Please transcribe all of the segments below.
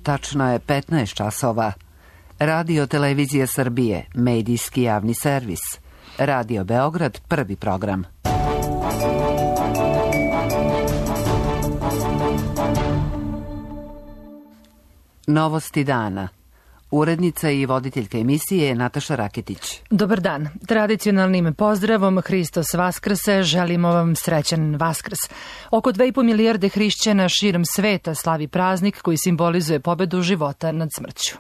tačno je 15 časova. Radio Televizija Srbije, medijski javni servis. Radio Beograd, prvi program. Novosti dana. Urednica i voditeljka emisije je Nataša Raketić. Dobar dan. Tradicionalnim pozdravom Hristos Vaskrse želimo vam srećan Vaskrs. Oko 2,5 milijarde hrišćana širom sveta slavi praznik koji simbolizuje pobedu života nad smrću.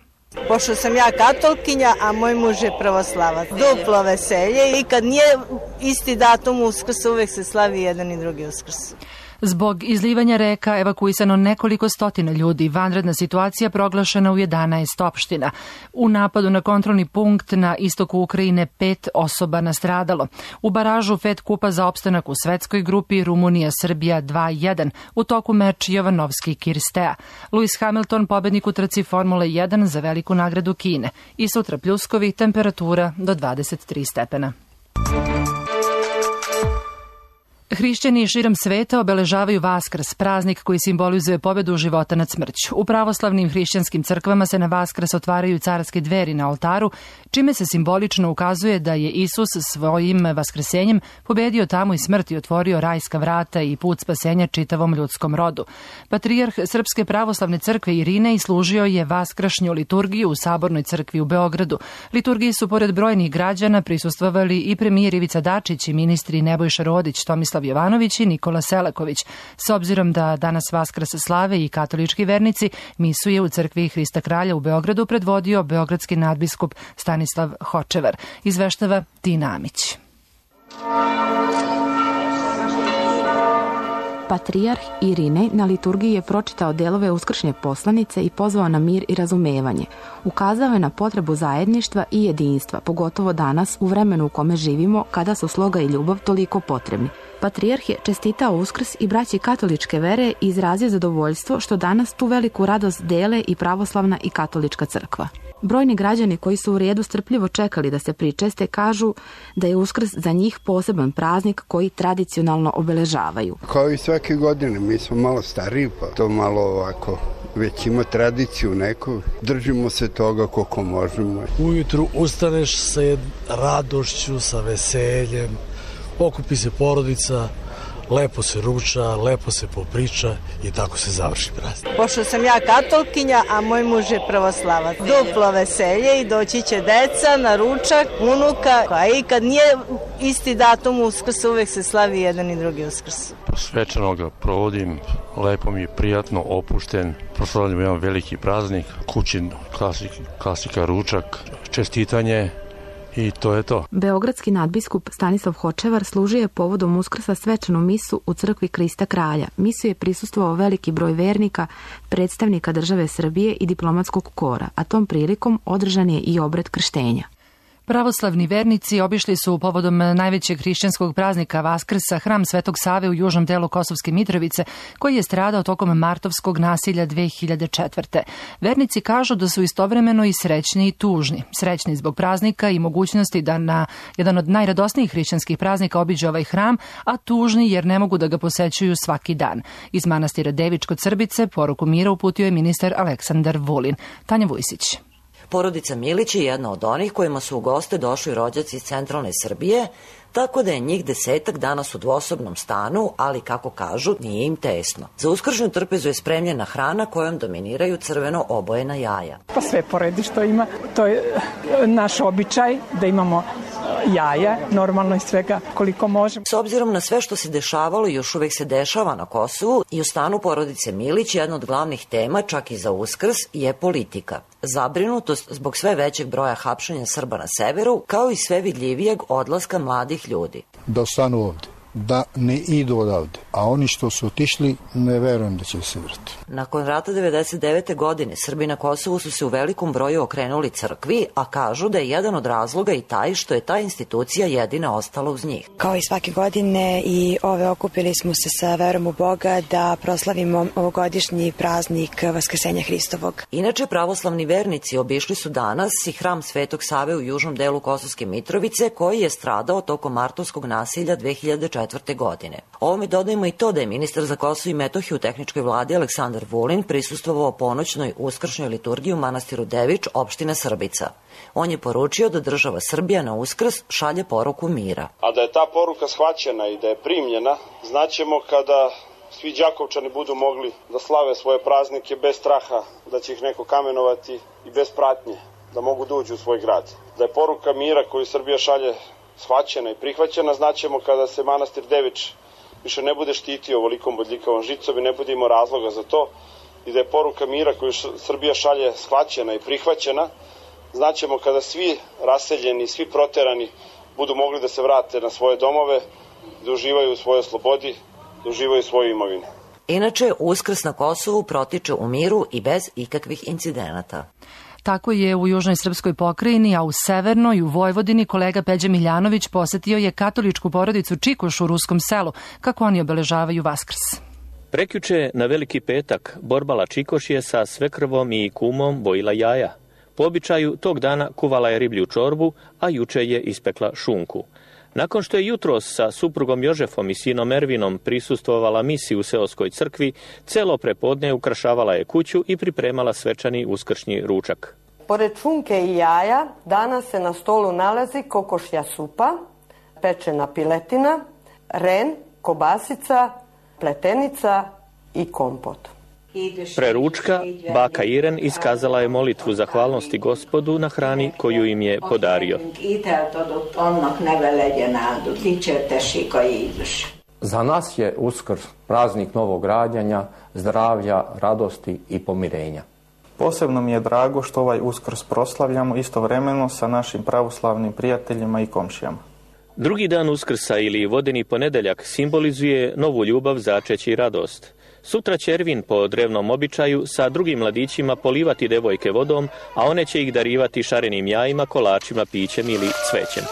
Pošto sam ja katolkinja, a moj muž je pravoslavac. Duplo veselje i kad nije isti datum Uskrsa, uvek se slavi jedan i drugi Uskrs. Zbog izlivanja reka evakuisano nekoliko stotina ljudi, vanredna situacija proglašena u 11 opština. U napadu na kontrolni punkt na istoku Ukrajine 5 osoba nastradalo. U baražu FED kupa za opstanak u svetskoj grupi Rumunija-Srbija 2-1. U toku meč Jovanovski-Kirstea. Lewis Hamilton pobednik u trci Formule 1 za veliku nagradu Kine. I sutra pljuskovi, temperatura do 23 stepena. Hrišćani širom sveta obeležavaju Vaskrs, praznik koji simbolizuje pobedu života nad smrću. U pravoslavnim hrišćanskim crkvama se na Vaskrs otvaraju carske dveri na oltaru, čime se simbolično ukazuje da je Isus svojim vaskrsenjem pobedio tamu i smrt i otvorio rajska vrata i put spasenja čitavom ljudskom rodu. Patrijarh Srpske pravoslavne crkve Irinej služio je vaskršnju liturgiju u Sabornoj crkvi u Beogradu. Liturgiji su pored brojnih građana prisustvovali i premijer Ivica Dačić i ministri Nebojša Rodić, Tomislav Jovanović i Nikola Selaković. S obzirom da danas Vaskrs slave i katolički vernici, misu je u crkvi Hrista Kralja u Beogradu predvodio beogradski nadbiskup Stanislav Hočevar. Izveštava Tina Amić. Patrijarh Irinej na liturgiji je pročitao delove uskršnje poslanice i pozvao na mir i razumevanje. Ukazao je na potrebu zajedništva i jedinstva, pogotovo danas u vremenu u kome živimo, kada su sloga i ljubav toliko potrebni. Patrijarh je čestitao Uskrs i braći katoličke vere i izrazio zadovoljstvo što danas tu veliku radost dele i pravoslavna i katolička crkva. Brojni građani koji su u redu strpljivo čekali da se pričeste kažu da je Uskrs za njih poseban praznik koji tradicionalno obeležavaju. Kao i svake godine, mi smo malo stariji pa to malo ovako već ima tradiciju neku, držimo se toga koliko možemo. Ujutru ustaneš sa radošću, sa veseljem, okupi se porodica, lepo se ruča, lepo se popriča i tako se završi praznik. Pošto sam ja katolkinja, a moj muž je pravoslavac. Duplo veselje i doći će deca na ručak, unuka, a i kad nije isti datum Uskrsa, uvek se slavi jedan i drugi Uskrs. Svečano ga provodim, lepo mi je, prijatno, opušten. Proslavljamo jedan veliki praznik, kućin klasika ručak, čestitanje. I to je to. Beogradski nadbiskup Stanislav Hočevar služio je povodom Uskrsa svečanu misu u crkvi Hrista Kralja. Misu je prisustvovao veliki broj vernika, predstavnika države Srbije i diplomatskog kora, a tom prilikom održan je i obred krštenja. Pravoslavni vernici obišli su povodom najvećeg hrišćanskog praznika Vaskrsa hram Svetog Save u južnom delu Kosovske Mitrovice, koji je stradao tokom martovskog nasilja 2004. Vernici kažu da su istovremeno i srećni i tužni. Srećni zbog praznika i mogućnosti da na jedan od najradosnijih hrišćanskih praznika obiđe ovaj hram, a tužni jer ne mogu da ga posećuju svaki dan. Iz manastira Devičko-Crbice poruku mira uputio je ministar Aleksandar Vulin. Tanja Vujsić. Porodica Milić je jedna od onih kojima su u goste došli rođaci iz centralne Srbije, tako da je njih 10 danas u dvosobnom stanu, ali kako kažu, nije im tesno. Za uskršnju trpezu je spremljena hrana kojom dominiraju crveno obojena jaja. Pa sve poredi što ima, to je naš običaj da imamo jaja, normalno i svega koliko možemo. S obzirom na sve što se dešavalo i još uvek se dešava na Kosovu, i u stanu porodice Milić jedna od glavnih tema, čak i za Uskrs, je politika. Zabrinutost zbog sve većeg broja hapšenja Srba na severu, kao i sve vidljivijeg odlaska mladih ljudi. Da ostanu ovde, da ne idu odavde, a oni što su otišli ne verujem da će se vrati. Nakon rata 1999. godine Srbi na Kosovu su se u velikom broju okrenuli crkvi, a kažu da je jedan od razloga i taj što je ta institucija jedina ostala uz njih. Kao i svake godine i ove okupili smo se sa verom u Boga da proslavimo ovogodišnji praznik Vaskrsenja Hristovog. Inače, pravoslavni vernici obišli su danas i hram Svetog Save u južnom delu Kosovske Mitrovice, koji je stradao tokom martovskog nasilja 2004. godine. Ovome dodajemo Dodajmo i to da je ministar za Kosovo i Metohiju u tehničkoj vladi Aleksandar Vulin prisustvovao ponoćnoj uskršnjoj liturgiji u manastiru Devič, opštine Srbica. On je poručio da država Srbija na Uskrs šalje poruku mira. A da je ta poruka shvaćena i da je primljena, znaćemo kada svi Đakovčani budu mogli da slave svoje praznike bez straha da će ih neko kamenovati i bez pratnje, da mogu da uđu u svoj grad. Da je poruka mira koju Srbija šalje shvaćena i prihvaćena, znaćemo kada se manastir Devič više ne bude štitio ovolikom bodljikavom žicom i ne bude imao razloga za to, i da je poruka mira koju Srbija šalje shvaćena i prihvaćena, znaćemo kada svi raseljeni, svi proterani budu mogli da se vrate na svoje domove, da uživaju u svojoj slobodi, da uživaju svoju imovinu. Inače, Uskrs na Kosovu protiče u miru i bez ikakvih incidenata. Tako je u južnoj srpskoj pokrajini, a u severnoj, u Vojvodini, kolega Peđa Miljanović posetio je katoličku porodicu Čikoš u Ruskom selu, kako oni obeležavaju Vaskrs. Prekjuče na Veliki petak Borbala Čikoš je sa svekrvom i kumom bojila jaja. Po običaju tog dana kuvala je riblju čorbu, a juče je ispekla šunku. Nakon što je jutros sa suprugom Jožefom i sinom Ervinom prisustvovala misi u seoskoj crkvi, celo prepodne ukrašavala je kuću i pripremala svečani uskršnji ručak. Pored šunke i jaja, danas se na stolu nalazi kokošja supa, pečena piletina, ren, kobasica, pletenica i kompot. Pre ručka, baka Iren iskazala je molitvu zahvalnosti Gospodu na hrani koju im je podario. Za nas je Uskrs praznik novog rađanja, zdravlja, radosti i pomirenja. Posebno mi je drago što ovaj Uskrs proslavljamo istovremeno sa našim pravoslavnim prijateljima i komšijama. Drugi dan Uskrsa ili vodeni ponedeljak simbolizuje novu ljubav, začeće i radost. Sutra će Ervin po drevnom običaju sa drugim mladićima polivati devojke vodom, a one će ih darivati šarenim jajima, kolačima, pićem ili cvećem.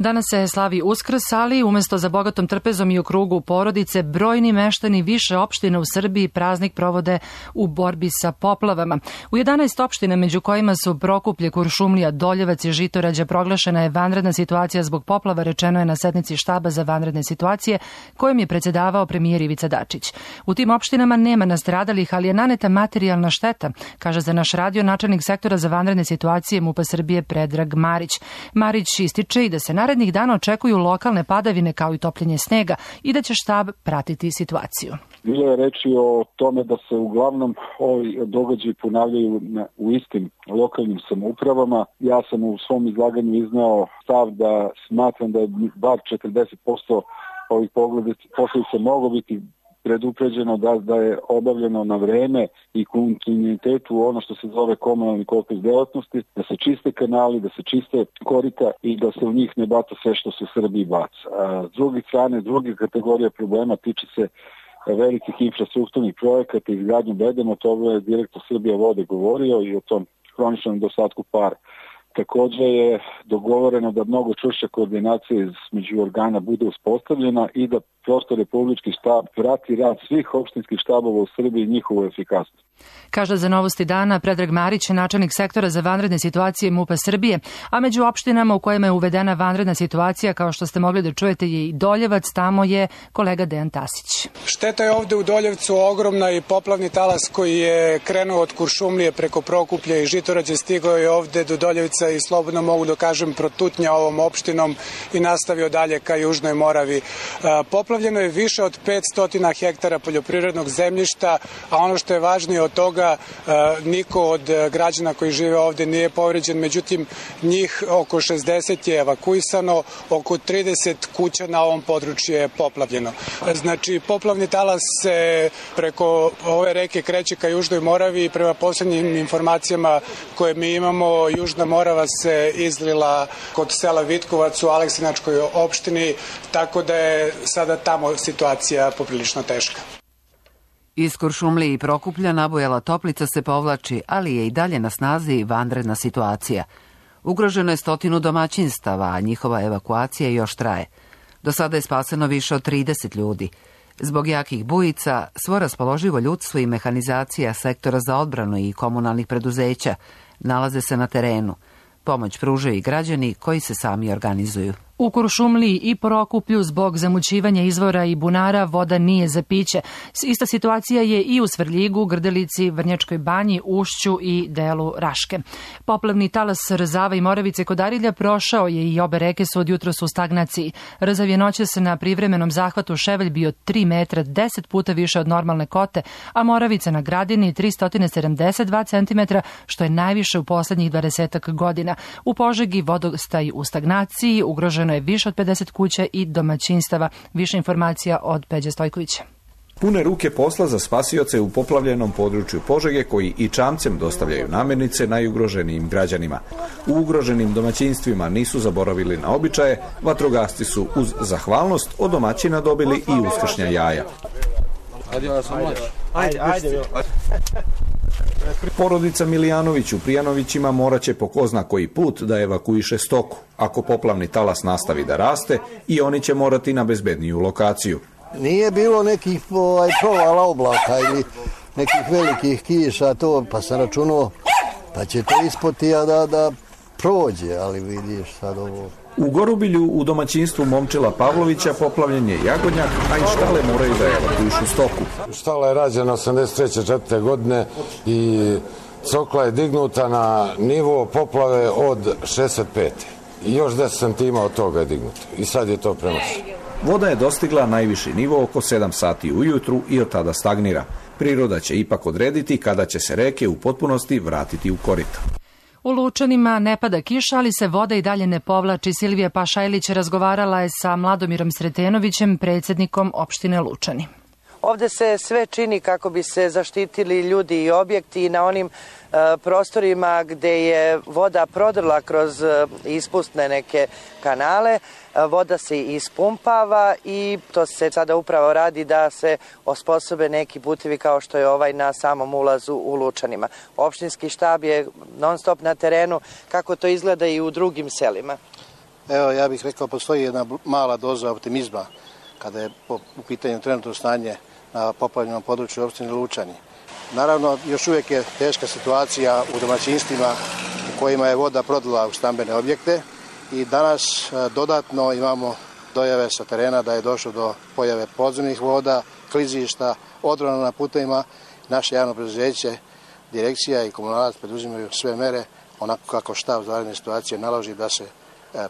Danas se slavi Uskrs, ali umjesto za bogatom trpezom i u krugu porodice, brojni meštani više opština u Srbiji praznik provode u borbi sa poplavama. U 11 opština, među kojima su Prokuplje, Kuršumlija, Doljevac i Žitorađa, proglašena je vanredna situacija zbog poplava, rečeno je na sednici štaba za vanredne situacije, kojom je predsjedavao premijer Ivica Dačić. U tim opštinama nema nastradalih, ali je naneta materijalna šteta, kaže za naš radio načelnik sektora za vanredne situacije MUP-a Srbije Predrag Marić. Marić ističe i da se narednih dana očekuju lokalne padavine kao i topljenje snega i da će štab pratiti situaciju. Bilo je reči o tome da se uglavnom ovi događaji ponavljaju u istim lokalnim samoupravama. Ja sam u svom izlaganju iznao stav da smatram da je bar 40% ovih posljedica moglo biti predupređeno, da je obavljeno na vreme i kontinuitetu ono što se zove komunalni kolektiv delatnosti, da se čiste kanali, da se čiste korita i da se u njih ne baca sve što se u Srbiji baca. S druge strane, druga kategorija problema tiče se velikih infrastrukturnih projekata i izgradnju bedema, to je direktor Srbija vode govorio i o tom hroničnom nedostatku para. Također je dogovoreno da mnogo čvršća koordinacija između organa bude uspostavljena i da prosto republički štab prati rad svih opštinskih štabova u Srbiji i njihovu efikasnost. Kaže za Novosti dana Predrag Marić, načelnik sektora za vanredne situacije MUP-a Srbije, a među opštinama u kojima je uvedena vanredna situacija, kao što ste mogli da čujete, je i Doljevac, tamo je kolega Dejan Tasić. Šteta je ovde u Doljevcu ogromna i poplavni talas koji je krenuo od Kuršumlije preko Prokuplja i Žitorađe stigao je ovde do Doljevca i slobodno mogu da kažem protutnja ovom opštinom i nastavio dalje ka Južnoj Moravi. Poplavljeno je više od 500 hektara poljoprivrednog zemljišta, a ono što je važnije od toga, niko od građana koji žive ovde nije povređen, međutim njih oko 60 je evakuisano, oko 30 kuća na ovom području je poplavljeno. Znači, poplavni talas se preko ove reke kreće ka Južnoj Moravi i prema posljednjim informacijama koje mi imamo, Južna Morava se izlila kod sela Vitkovac u Aleksinačkoj opštini, tako da je sada tamo situacija poprilično teška. Iz Kuršumlije i Prokuplja Nabojala Toplica se povlači, ali je i dalje na snazi vanredna situacija. Ugroženo je 100 domaćinstava, a njihova evakuacija još traje. Do sada je spaseno više od 30 ljudi. Zbog jakih bujica, svo raspoloživo ljudstvo i mehanizacija sektora za odbranu i komunalnih preduzeća nalaze se na terenu. Pomoć pružaju i građani koji se sami organizuju. U Kuršumliji i Prokuplju zbog zamućivanja izvora i bunara voda nije za piće. Ista situacija je i u Svrljigu, Grdelici, Vrnjačkoj banji, Ušću i delu Raške. Poplavni talas Rzava i Moravice kod Arilja prošao je i obe reke su od jutros u stagnaciji. Rzav je noćas na privremenom zahvatu Ševelj bio 3 metra, 10 puta više od normalne kote, a Moravica na Gradini 372 cm, što je najviše u poslednjih 20 godina. U Požegi vodostaj u stagnaciji, ugroženo je više od 50 kuća i domaćinstava. Više informacija od Peđe Stojkovića. Pune ruke posla za spasioce u poplavljenom području Požege koji i čamcem dostavljaju namirnice najugroženijim građanima. U ugroženim domaćinstvima nisu zaboravili na običaje, vatrogasci su uz zahvalnost od domaćina dobili i uskršnja jaja. Porodica Milijanović u Prijanovićima morat će po ko zna koji put da evakuiše stoku. Ako poplavni talas nastavi da raste, i oni će morati na bezbedniju lokaciju. Nije bilo nekih provala oblaka ili nekih velikih kiša, to, pa sam računao pa će to ispoti da prođe, ali vidiš sad ovo. U Gorubilju u domaćinstvu Momčila Pavlovića poplavljen je jagodnjak, a i štale moraju da evakuišu stoku. Štala je rađena 83. godine i cokla je dignuta na nivo poplave od 65. I još 10 centima od toga je dignuto. I sad je to premašeno. Voda je dostigla najviši nivo oko 7 sati ujutru i od tada stagnira. Priroda će ipak odrediti kada će se reke u potpunosti vratiti u korito. U Lučanima ne pada kiša, ali se voda i dalje ne povlači. Silvija Pašajlić razgovarala je sa Mladomirom Sretenovićem, predsjednikom opštine Lučani. Ovde se sve čini kako bi se zaštitili ljudi i objekti na onim prostorima gde je voda prodrla kroz ispustne neke kanale. Voda se ispumpava i to se sada upravo radi da se osposobe neki putevi kao što je ovaj na samom ulazu u Lučanima. Opštinski štab je non stop na terenu, kako to izgleda i u drugim selima. Evo, ja bih rekao, postoji jedna mala doza optimizma kada je u pitanju trenutno stanje na poplavljenom području opštine Lučani. Naravno, još uvijek je teška situacija u domaćinstvima u kojima je voda prodrla u stambene objekte i danas dodatno imamo dojave sa terena da je došlo do pojave podzemnih voda, klizišta, odrona na putevima. Naše javno preduzeće, direkcija i komunalac preduzimaju sve mere onako kako štab za vanredne situacije naloži da se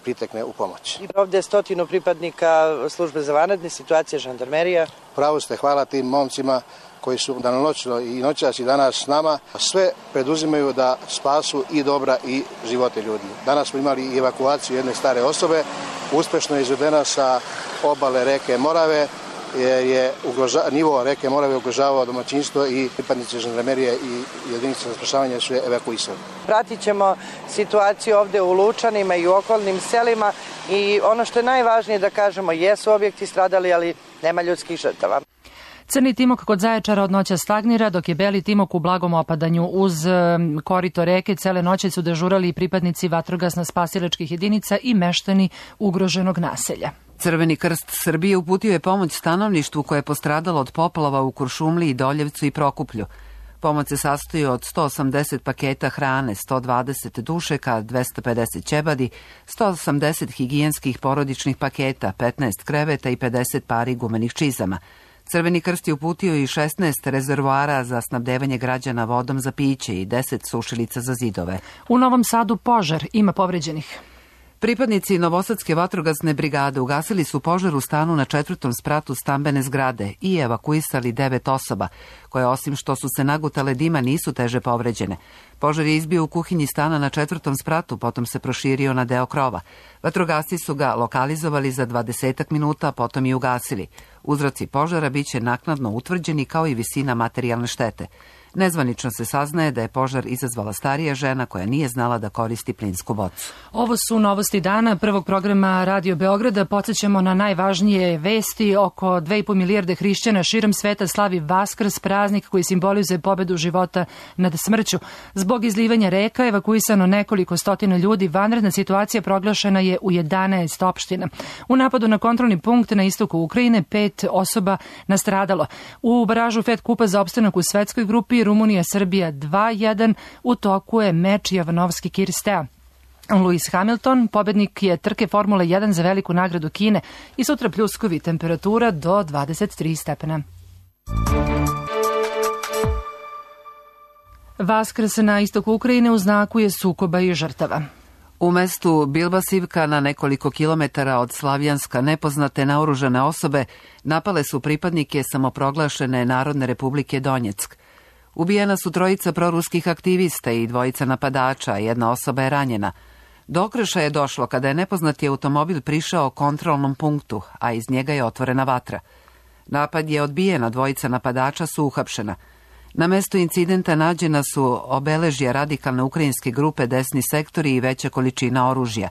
pritekne u pomoć. Ovdje je 100 pripadnika službe za vanredne situacije, žandarmerija. Pravo ste, hvala tim momcima koji su danonoćno i noćas i danas s nama. Sve preduzimaju da spasu i dobra i živote ljudi. Danas smo imali i evakuaciju jedne stare osobe, uspešno je izvedena sa obale reke Morave, jer je nivo reke Morave ugrožavao domaćinstvo i pripadnici žandarmerije i jedinice za spašavanje su je evakuisali. Pratit ćemo situaciju ovde u Lučanima i u okolnim selima i ono što je najvažnije da kažemo, jesu objekti stradali, ali nema ljudskih žrtava. Crni timok kod Zaječara od noća stagnira, dok je beli timok u blagom opadanju. Uz korito reke cele noći su dežurali pripadnici vatrogasno-spasilačkih jedinica i meštani ugroženog naselja. Crveni krst Srbije uputio je pomoć stanovništvu koje je postradalo od poplava u Kuršumliji, Doljevcu i Prokuplju. Pomoć se sastoji od 180 paketa hrane, 120 dušeka, 250 ćebadi, 180 higijenskih porodičnih paketa, 15 kreveta i 50 pari gumenih čizama. Crveni krst je uputio i 16 rezervoara za snabdevanje građana vodom za piće i 10 sušilica za zidove. U Novom Sadu požar, ima povređenih. Pripadnici Novosadske vatrogasne brigade ugasili su požar u stanu na 4. spratu stambene zgrade i evakuisali 9 osoba, koje osim što su se nagutale dima nisu teže povređene. Požar je izbio u kuhinji stana na 4. spratu, potom se proširio na deo krova. Vatrogasci su ga lokalizovali za 20 minuta, potom i ugasili. Uzroci požara biće naknadno utvrđeni kao i visina materijalne štete. Nezvanično se saznaje da je požar izazvala starija žena koja nije znala da koristi plinsku bocu. Ovo su novosti dana prvog programa Radio Beograda. Podsećamo na najvažnije vesti. Oko 2,5 milijarde hrišćana širom sveta slavi Vaskrs, praznik koji simbolizuje pobedu života nad smrću. Zbog izlivanja reka evakuisano nekoliko stotina ljudi. Vanredna situacija proglašena je u 11 opština. U napadu na kontrolni punkt na istoku Ukrajine 5 osoba nastradalo. U baražu Fed kupa za opstanak u svetskoj grupi Rumunija, Srbija 2-1, u toku je meč Jovanovski-Kirstea. Lewis Hamilton, pobednik je trke Formule 1 za veliku nagradu Kine i sutra pljuskovi, temperatura do 23 stepena. Vaskrs na istoku Ukrajine u znaku je sukoba i žrtava. U mestu Bilbasivka, na nekoliko kilometara od Slavjanska, nepoznate naoružane osobe napale su pripadnike samoproglašene Narodne republike Donjeck. Ubijena su 3 proruskih aktivista i 2 napadača, 1 osoba je ranjena. Do okršaja je došlo kada je nepoznati automobil prišao kontrolnom punktu, a iz njega je otvorena vatra. Napad je odbijen, a 2 napadača su uhapšena. Na mestu incidenta nađena su obeležja radikalne ukrajinske grupe Desni sektori i veća količina oružja.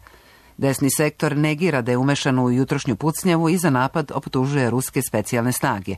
Desni sektor negira da je umešan u jutrošnju pucnjavu i za napad optužuje ruske specijalne snage.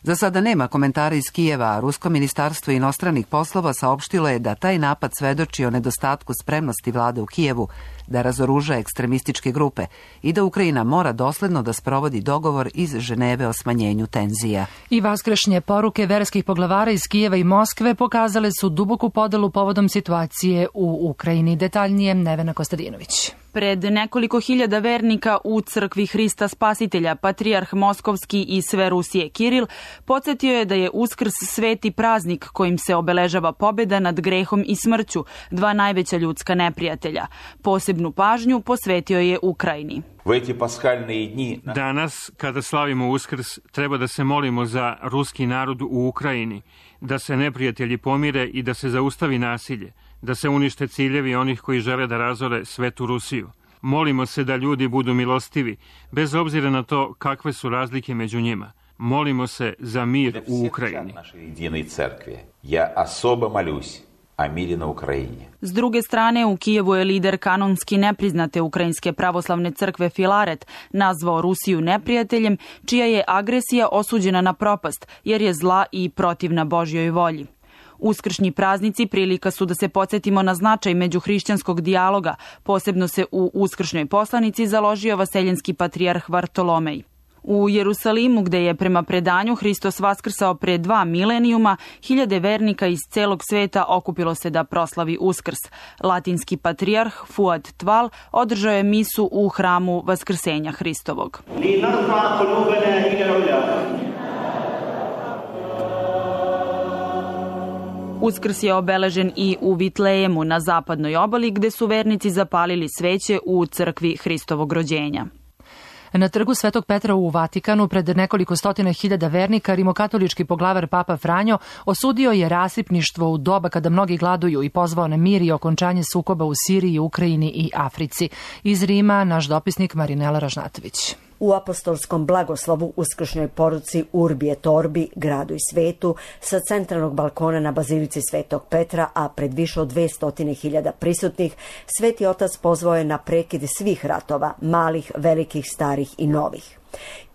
Za sada nema komentara iz Kijeva, a Rusko ministarstvo inostranih poslova saopštilo je da taj napad svedoči o nedostatku spremnosti vlade u Kijevu da razoruža ekstremističke grupe i da Ukrajina mora dosledno da sprovodi dogovor iz Ženeve o smanjenju tenzija. I vaskršnje poruke verskih poglavara iz Kijeva i Moskve pokazale su duboku podelu povodom situacije u Ukrajini. Detaljnije Nevena Kostadinović. Pred nekoliko hiljada vernika u crkvi Hrista Spasitelja, patrijarh Moskovski i sve Rusije Kiril podsjetio je da je Uskrs sveti praznik kojim se obeležava pobjeda nad grehom i smrću, 2 najveća ljudska neprijatelja. Posebnu pažnju posvetio je Ukrajini. Danas, kada slavimo Uskrs, treba da se molimo za ruski narod u Ukrajini, da se neprijatelji pomire i da se zaustavi nasilje, da se unište ciljevi onih koji žele da razore svetu Rusiju. Molimo se da ljudi budu milostivi, bez obzira na to kakve su razlike među njima. Molimo se za mir u Ukrajini. S druge strane, u Kijevu je lider kanonski nepriznate Ukrajinske pravoslavne crkve Filaret nazvao Rusiju neprijateljem, čija je agresija osuđena na propast, jer je zla i protivna Božjoj volji. Uskršnji praznici prilika su da se podsjetimo na značaj međuhrišćanskog dijaloga, posebno se u uskršnjoj poslanici založio vaseljenski patrijarh Vartolomej. U Jerusalimu, gde je prema predanju Hristos vaskrsao pre 2 milenijuma, hiljade vernika iz celog sveta okupilo se da proslavi Uskrs. Latinski patrijarh Fuad Tval održao je misu u hramu Vaskrsenja Hristovog. Uskrs je obeležen i u Vitlejemu na zapadnoj obali, gde su vernici zapalili sveće u crkvi Hristovog rođenja. Na trgu Svetog Petra u Vatikanu pred nekoliko stotina hiljada vernika rimokatolički poglavar Papa Franjo osudio je rasipništvo u doba kada mnogi gladuju i pozvao na mir i okončanje sukoba u Siriji, Ukrajini i Africi. Iz Rima naš dopisnik Marinela Ražnatović. U apostolskom blagoslovu uskršnjoj poruci Urbi et Orbi, gradu i svetu, sa centralnog balkona na bazilici Svetog Petra, a pred više od 200.000 prisutnih, Sveti Otac pozvao je na prekid svih ratova, malih, velikih, starih i novih.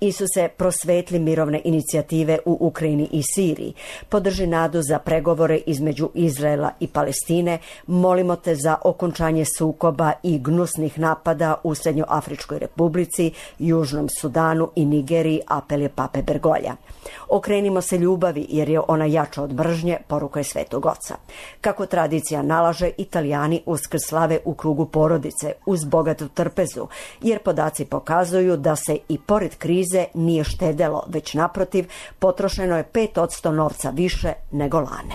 Isuse, prosvetli mirovne inicijative u Ukrajini i Siriji, podrži nadu za pregovore između Izraela i Palestine, molimo te za okončanje sukoba i gnusnih napada u Srednjoafričkoj republici, Južnom Sudanu i Nigeriji, apel je Pape Bergolja. Okrenimo se ljubavi jer je ona jača od mržnje, poruka je Svetog Oca. Kako tradicija nalaže, Italijani Uskrs slave u krugu porodice, uz bogatu trpezu, jer podaci pokazuju da se i pored krize nije štedelo, već naprotiv, potrošeno je 5% novca više nego lane.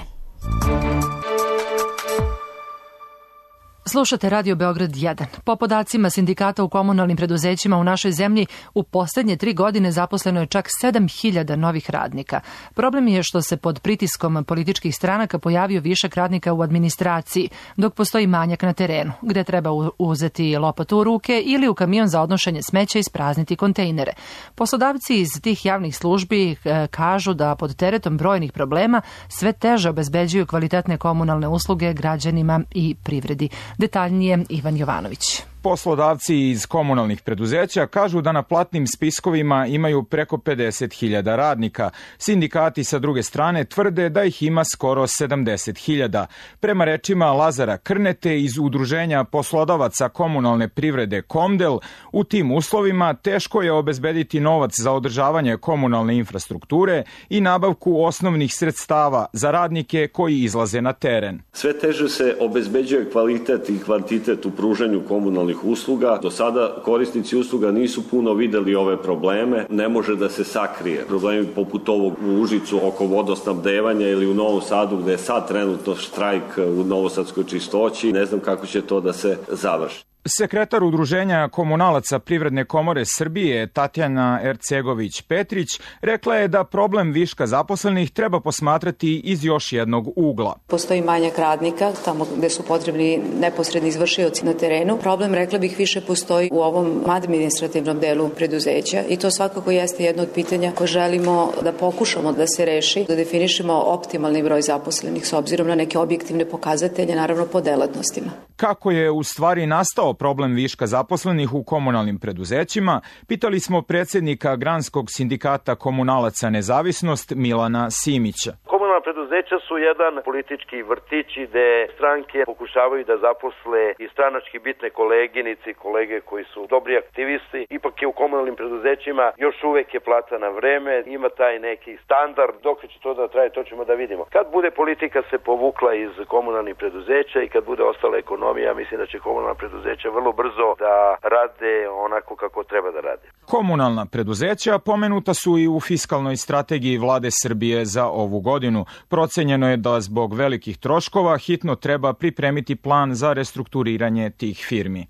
Slušate Radio Beograd 1. Po podacima sindikata u komunalnim preduzećima u našoj zemlji, u posljednje 3 godine zaposleno je čak 7.000 novih radnika. Problem je što se pod pritiskom političkih stranaka pojavio višak radnika u administraciji, dok postoji manjak na terenu, gde treba uzeti lopatu u ruke ili u kamion za odnošenje smeća isprazniti kontejnere. Poslodavci iz tih javnih službi kažu da pod teretom brojnih problema sve teže obezbeđuju kvalitetne komunalne usluge građanima i privredi. Detaljnije Ivan Jovanović. Poslodavci iz komunalnih preduzeća kažu da na platnim spiskovima imaju preko 50.000 radnika. Sindikati sa druge strane tvrde da ih ima skoro 70.000. Prema rečima Lazara Krnete iz Udruženja poslodavaca komunalne privrede Komdel, u tim uslovima teško je obezbediti novac za održavanje komunalne infrastrukture i nabavku osnovnih sredstava za radnike koji izlaze na teren. Sve teže se obezbeđuje kvalitet i kvantitet u pružanju komunalnih usluga. Do sada korisnici usluga nisu puno videli ove probleme, ne može da se sakrije. Problemi poput ovog u Užicu oko vodosnabdevanja ili u Novom Sadu gde je sad trenutno štrajk u novosadskoj čistoći, ne znam kako će to da se završi. Sekretar Udruženja komunalaca Privredne komore Srbije Tatjana Ercegović-Petrić rekla je da problem viška zaposlenih treba posmatrati iz još jednog ugla. Postoji manjak radnika tamo gde su potrebni neposredni izvršioci na terenu. Problem, rekla bih, više postoji u ovom administrativnom delu preduzeća i to svakako jeste jedno od pitanja koje želimo da pokušamo da se reši, da definišemo optimalni broj zaposlenih s obzirom na neke objektivne pokazatelje, naravno po delatnostima. Kako je u stvari nastao problem viška zaposlenih u komunalnim preduzećima, pitali smo predsjednika Granskog sindikata komunalaca Nezavisnost Milana Simića. Komunalna preduzeća su jedan politički vrtić gde stranke pokušavaju da zaposle i stranački bitne koleginice i kolege koji su dobri aktivisti. Ipak je u komunalnim preduzećima još uvek je plata na vreme, ima taj neki standard. Dok će to da traje, to ćemo da vidimo. Kad bude politika se povukla iz komunalnih preduzeća i kad bude ostala ekonomija, mislim da će komunalna preduzeća vrlo brzo da rade onako kako treba da rade. Komunalna preduzeća pomenuta su i u fiskalnoj strategiji Vlade Srbije za ovu godinu. Procenjeno je da zbog velikih troškova hitno treba pripremiti plan za restrukturiranje tih firmi.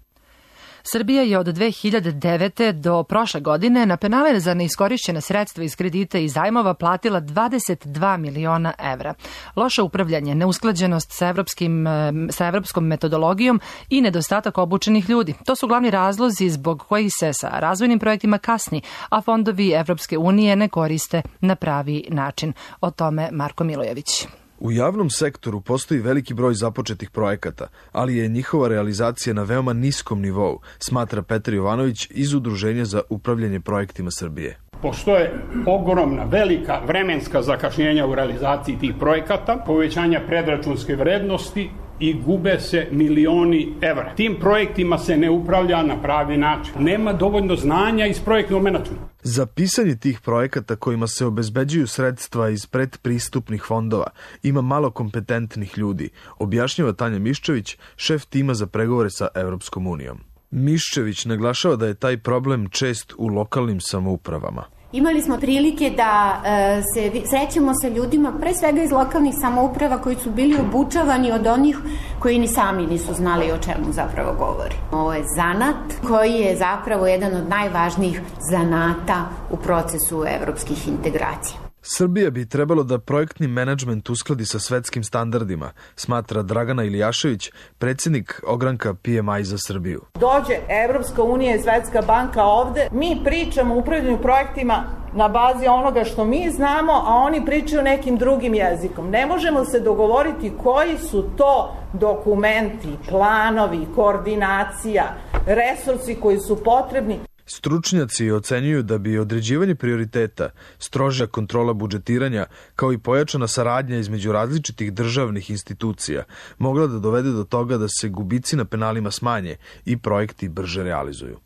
Srbija je od 2009. do prošle godine na penale za neiskorišćena sredstva iz kredita i zajmova platila 22 miliona evra. Loše upravljanje, neusklađenost sa evropskom metodologijom i nedostatak obučenih ljudi. To su glavni razlozi zbog kojih se sa razvojnim projektima kasni, a fondovi Evropske unije ne koriste na pravi način. O tome Marko Milojević. U javnom sektoru postoji veliki broj započetih projekata, ali je njihova realizacija na veoma niskom nivou, smatra Petar Jovanović iz Udruženja za upravljanje projektima Srbije. Postoje ogromna, velika vremenska zakašnjenja u realizaciji tih projekata, povećanja predračunske vrednosti i gube se milioni evra. Tim projektima se ne upravlja na pravi način. Nema dovoljno znanja iz projektnog menadžmenta. Za pisanje tih projekata kojima se obezbeđuju sredstva iz predpristupnih fondova ima malo kompetentnih ljudi, objašnjava Tanja Miščević, šef tima za pregovore sa Evropskom unijom. Miščević naglašava da je taj problem čest u lokalnim samoupravama. Imali smo prilike da se srećemo sa ljudima, pre svega iz lokalnih samouprava, koji su bili obučavani od onih koji ni sami nisu znali o čemu zapravo govori. Ovo je zanat koji je zapravo jedan od najvažnijih zanata u procesu evropskih integracija. Srbija bi trebalo da projektni menadžment uskladi sa svetskim standardima, smatra Dragana Ilijašević, predsjednik ogranka PMI za Srbiju. Dođe Evropska unija i Svetska banka ovde, mi pričamo o upravljanju projektima na bazi onoga što mi znamo, a oni pričaju nekim drugim jezikom. Ne možemo se dogovoriti koji su to dokumenti, planovi, koordinacija, resursi koji su potrebni. Stručnjaci ocenjuju da bi određivanje prioriteta, strožja kontrola budžetiranja, kao i pojačana saradnja između različitih državnih institucija mogla da dovede do toga da se gubici na penalima smanje i projekti brže realizuju.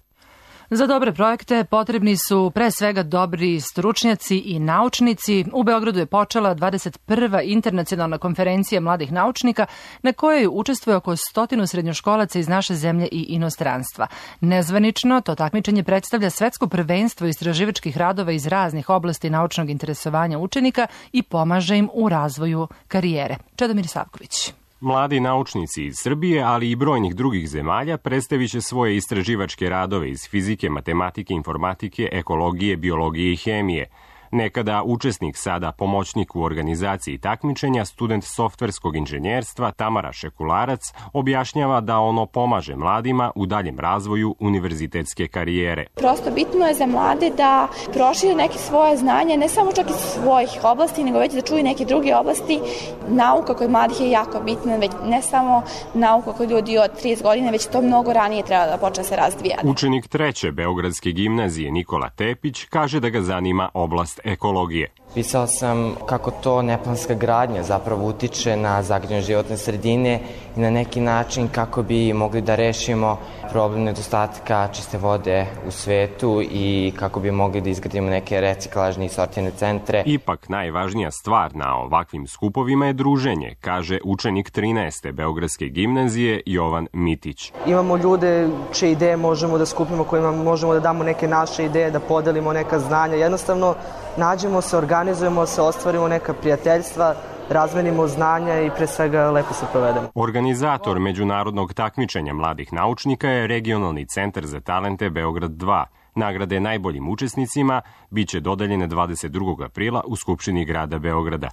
Za dobre projekte potrebni su pre svega dobri stručnjaci i naučnici. U Beogradu je počela 21. internacionalna konferencija mladih naučnika na kojoj učestvuje oko 100 srednjoškolaca iz naše zemlje i inostranstva. Nezvanično to takmičenje predstavlja svetsko prvenstvo istraživačkih radova iz raznih oblasti naučnog interesovanja učenika i pomaže im u razvoju karijere. Čedomir Savković. Mladi naučnici iz Srbije, ali i brojnih drugih zemalja predstavit će svoje istraživačke radove iz fizike, matematike, informatike, ekologije, biologije i hemije. Nekada učesnik, sada pomoćnik u organizaciji takmičenja, student softverskog inženjerstva Tamara Šekularac objašnjava da ono pomaže mladima u daljem razvoju univerzitetske karijere. Prosto bitno je za mlade da prošire neke svoje znanje, ne samo čak iz svojih oblasti, nego već da čuju neke druge oblasti. Nauka kod mladih je jako bitna, već ne samo nauka kod ljudi od 30 godina, već to mnogo ranije treba da počne se razvijati. Učenik 3. Beogradske gimnazije Nikola Tepić kaže da ga zanima oblast ekologije. Pisao sam kako to neplanska gradnja zapravo utiče na zagađenje životne sredine i na neki način kako bi mogli da rešimo problem nedostatka čiste vode u svetu i kako bi mogli da izgradimo neke reciklažne i sortirne centre. Ipak najvažnija stvar na ovakvim skupovima je druženje, kaže učenik 13. Beogradske gimnazije Jovan Mitić. Imamo ljude čije ideje možemo da skupimo, kojima možemo da damo neke naše ideje, da podelimo neka znanja. Jednostavno nađemo se, organizujemo se, ostvarimo neka prijateljstva, razmenimo znanja i pre svega lepo se provedemo. Organizator međunarodnog takmičenja mladih naučnika je Regionalni centar za talente Beograd 2. Nagrade najboljim učesnicima biće dodeljene 22. aprila u Skupštini grada Beograda.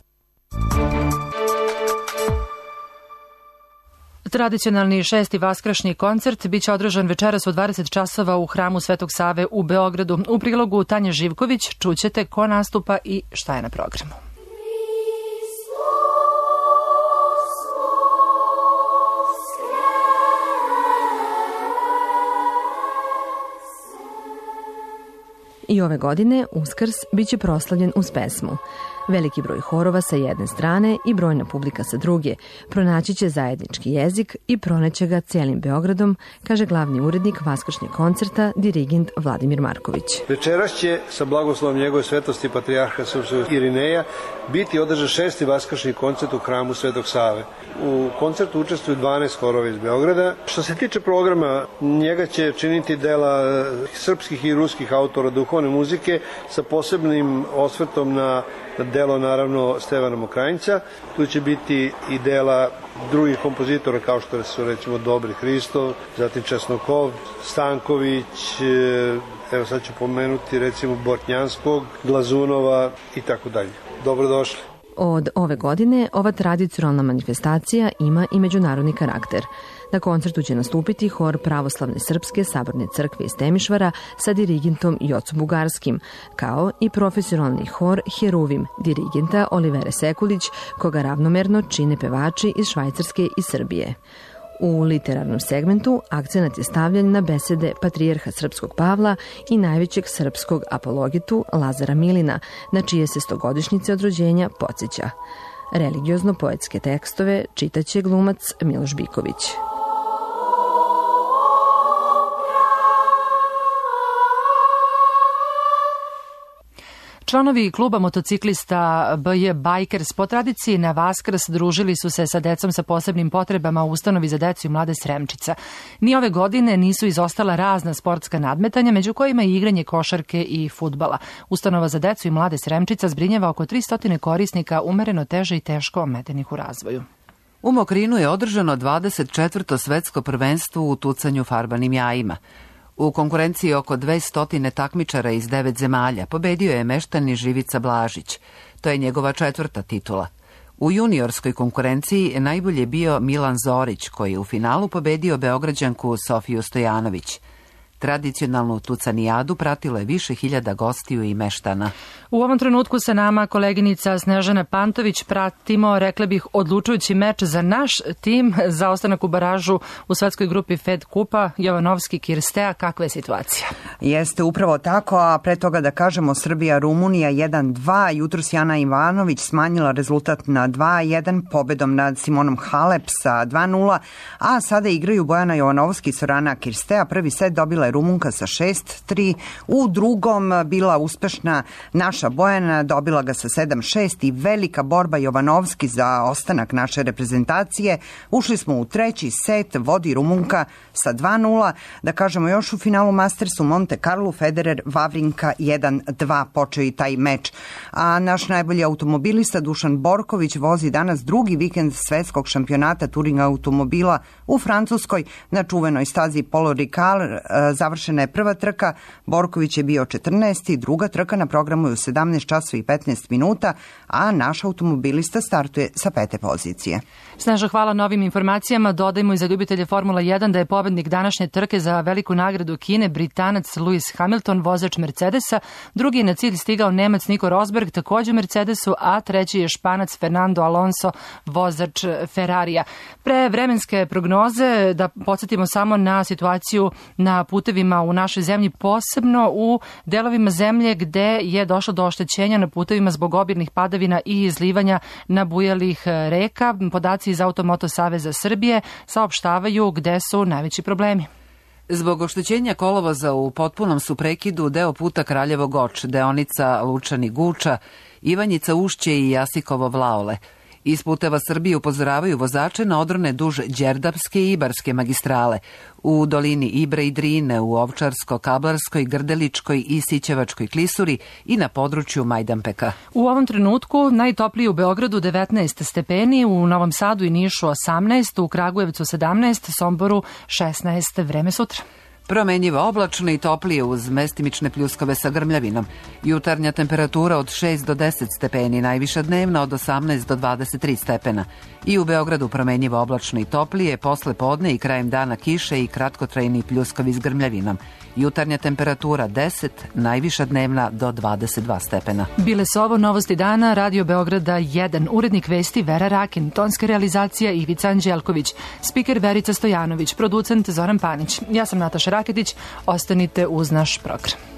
Tradicionalni 6. vaskršnji koncert biće održan večeras u 20 časova u hramu Svetog Save u Beogradu. U prilogu Tanje Živković čućete ko nastupa i šta je na programu. I ove godine Uskrs biće proslavljen uz pesmu. Veliki broj horova sa jedne strane i brojna publika sa druge pronaći će zajednički jezik i proneće ga cijelim Beogradom, kaže glavni urednik vaskršnjeg koncerta, dirigent Vladimir Marković. Večeras će sa blagoslovom njegove svetosti patrijarha srpskog Irineja biti održan 6. vaskršnji koncert u hramu Svetog Save. U koncertu učestvuju 12 horova iz Beograda. Što se tiče programa, njega će činiti dela srpskih i ruskih autora duhovne muzike sa posebnim osvrtom na delo naravno Stevana Mokranjca. Tu će biti i dela drugih kompozitora kao što su recimo Dobri Hristov, zatim Česnokov, Stanković, evo sad ću pomenuti recimo Bortnjanskog, Glazunova i tako dalje. Dobrodošli. Od ove godine ova tradicionalna manifestacija ima i međunarodni karakter. Na koncertu će nastupiti hor Pravoslavne srpske saborne crkve iz Temišvara sa dirigentom Jocom Bugarskim, kao i profesionalni hor Heruvim dirigenta Olivere Sekulić, koga ravnomerno čine pevači iz Švajcarske i Srbije. U literarnom segmentu akcenat je stavljen na besede patrijarha srpskog Pavla i najvećeg srpskog apologetu Lazara Milina, na čije se 100-godišnjice od rođenja podsjeća. Religiozno-poetske tekstove čitaće glumac Miloš Biković. Članovi kluba motociklista BJ Bikers po tradiciji na Vaskrs družili su se sa decom sa posebnim potrebama u ustanovi za decu i mlade Sremčica. Ni ove godine nisu izostala razna sportska nadmetanja, među kojima i igranje košarke i fudbala. Ustanova za decu i mlade Sremčica zbrinjava oko 300 korisnika umereno teže i teško ometenih u razvoju. U Mokrinu je održano 24. svetsko prvenstvo u tucanju farbanim jajima. U konkurenciji oko 200 takmičara iz 9 zemalja pobedio je meštani Živica Blažić. To je njegova 4. titula. U juniorskoj konkurenciji najbolje je bio Milan Zorić, koji je u finalu pobedio Beograđanku Sofiju Stojanović. Tradicionalnu tucanijadu pratilo je više hiljada gostiju i meštana. U ovom trenutku sa nama koleginica Snežana Pantović. Pratimo, rekla bih, odlučujući meč za naš tim za ostanak u baražu u svetskoj grupi Fed Kupa. Jovanovski-Kirstea, kakva je situacija? Jeste upravo tako, a pre toga da kažemo Srbija-Rumunija 1-2. Jutros Jana Ivanović smanjila rezultat na 2-1 pobedom nad Simonom Halep sa 2-0, a sada igraju Bojana Jovanovski i Sorana Kirstea. Prvi set dobila je Rumunka sa 6-3, u drugom bila uspešna naša Bojana, dobila ga sa 7-6 i velika borba Jovanovski za ostanak naše reprezentacije. Ušli smo u treći set, vodi Rumunka sa 2-0. Da kažemo još u finalu Mastersu Monte Carlo, Federer, Vavrinka 1-2 počeo i taj meč. A naš najbolji automobilista Dušan Borković vozi danas drugi vikend svetskog šampionata turing automobila u Francuskoj na čuvenoj stazi Paul Ricard. završena je prva trka, Borković je bio 14. Druga trka na programu je u 17 časova i 15 minuta, a naš automobilista startuje sa 5. pozicije. Snažno hvala na ovim informacijama. Dodajmo i za ljubitelje Formula 1 da je pobednik današnje trke za veliku nagradu Kine Britanac Lewis Hamilton, vozač Mercedesa. Drugi je na cilj stigao Nemac Nico Rosberg, također u Mercedesu, a treći je Španac Fernando Alonso, vozač Ferrarija. Pre vremenske prognoze da podsjetimo samo na situaciju na putevima u našoj zemlji, posebno u delovima zemlje gde je došlo do oštećenja na putevima zbog obilnih padavina i izlivanja nabujalih reka. Podaci iz Automoto Saveza Srbije saopštavaju gde su najveći problemi. Zbog oštećenja kolovoza u potpunom su prekidu deo puta Kraljevo Goč, deonica Lučani Guča, Ivanjica Ušće i Jasikovo Vlaole. Iz Puteva Srbije upozoravaju vozače na odrone duž Đerdapske i Ibarske magistrale, u dolini Ibre i Drine, u Ovčarsko-Kablarskoj, Grdeličkoj i Sićevačkoj klisuri i na području Majdanpeka. U ovom trenutku najtoplije u Beogradu 19 stepeni, u Novom Sadu i Nišu 18, u Kragujevcu 17, Somboru 16. Vreme sutra. Promenjivo oblačno i toplije uz mestimične pljuskove sa grmljavinom. Jutarnja temperatura od 6 do 10 stepeni, najviša dnevna od 18 do 23 stepena. I u Beogradu promenjivo oblačno i toplije, posle podne i krajem dana kiše i kratkotrajni pljuskovi s grmljavinom. Jutarnja temperatura 10, najviša dnevna do 22 stepena. Bile su ovo novosti dana, Radio Beograda 1, urednik vesti Vera Rakin, tonska realizacija Ivica Anđelković, spiker Verica Stojanović, producent Zoran Panić. Ja sam Nataša Raketić, ostanite uz naš program.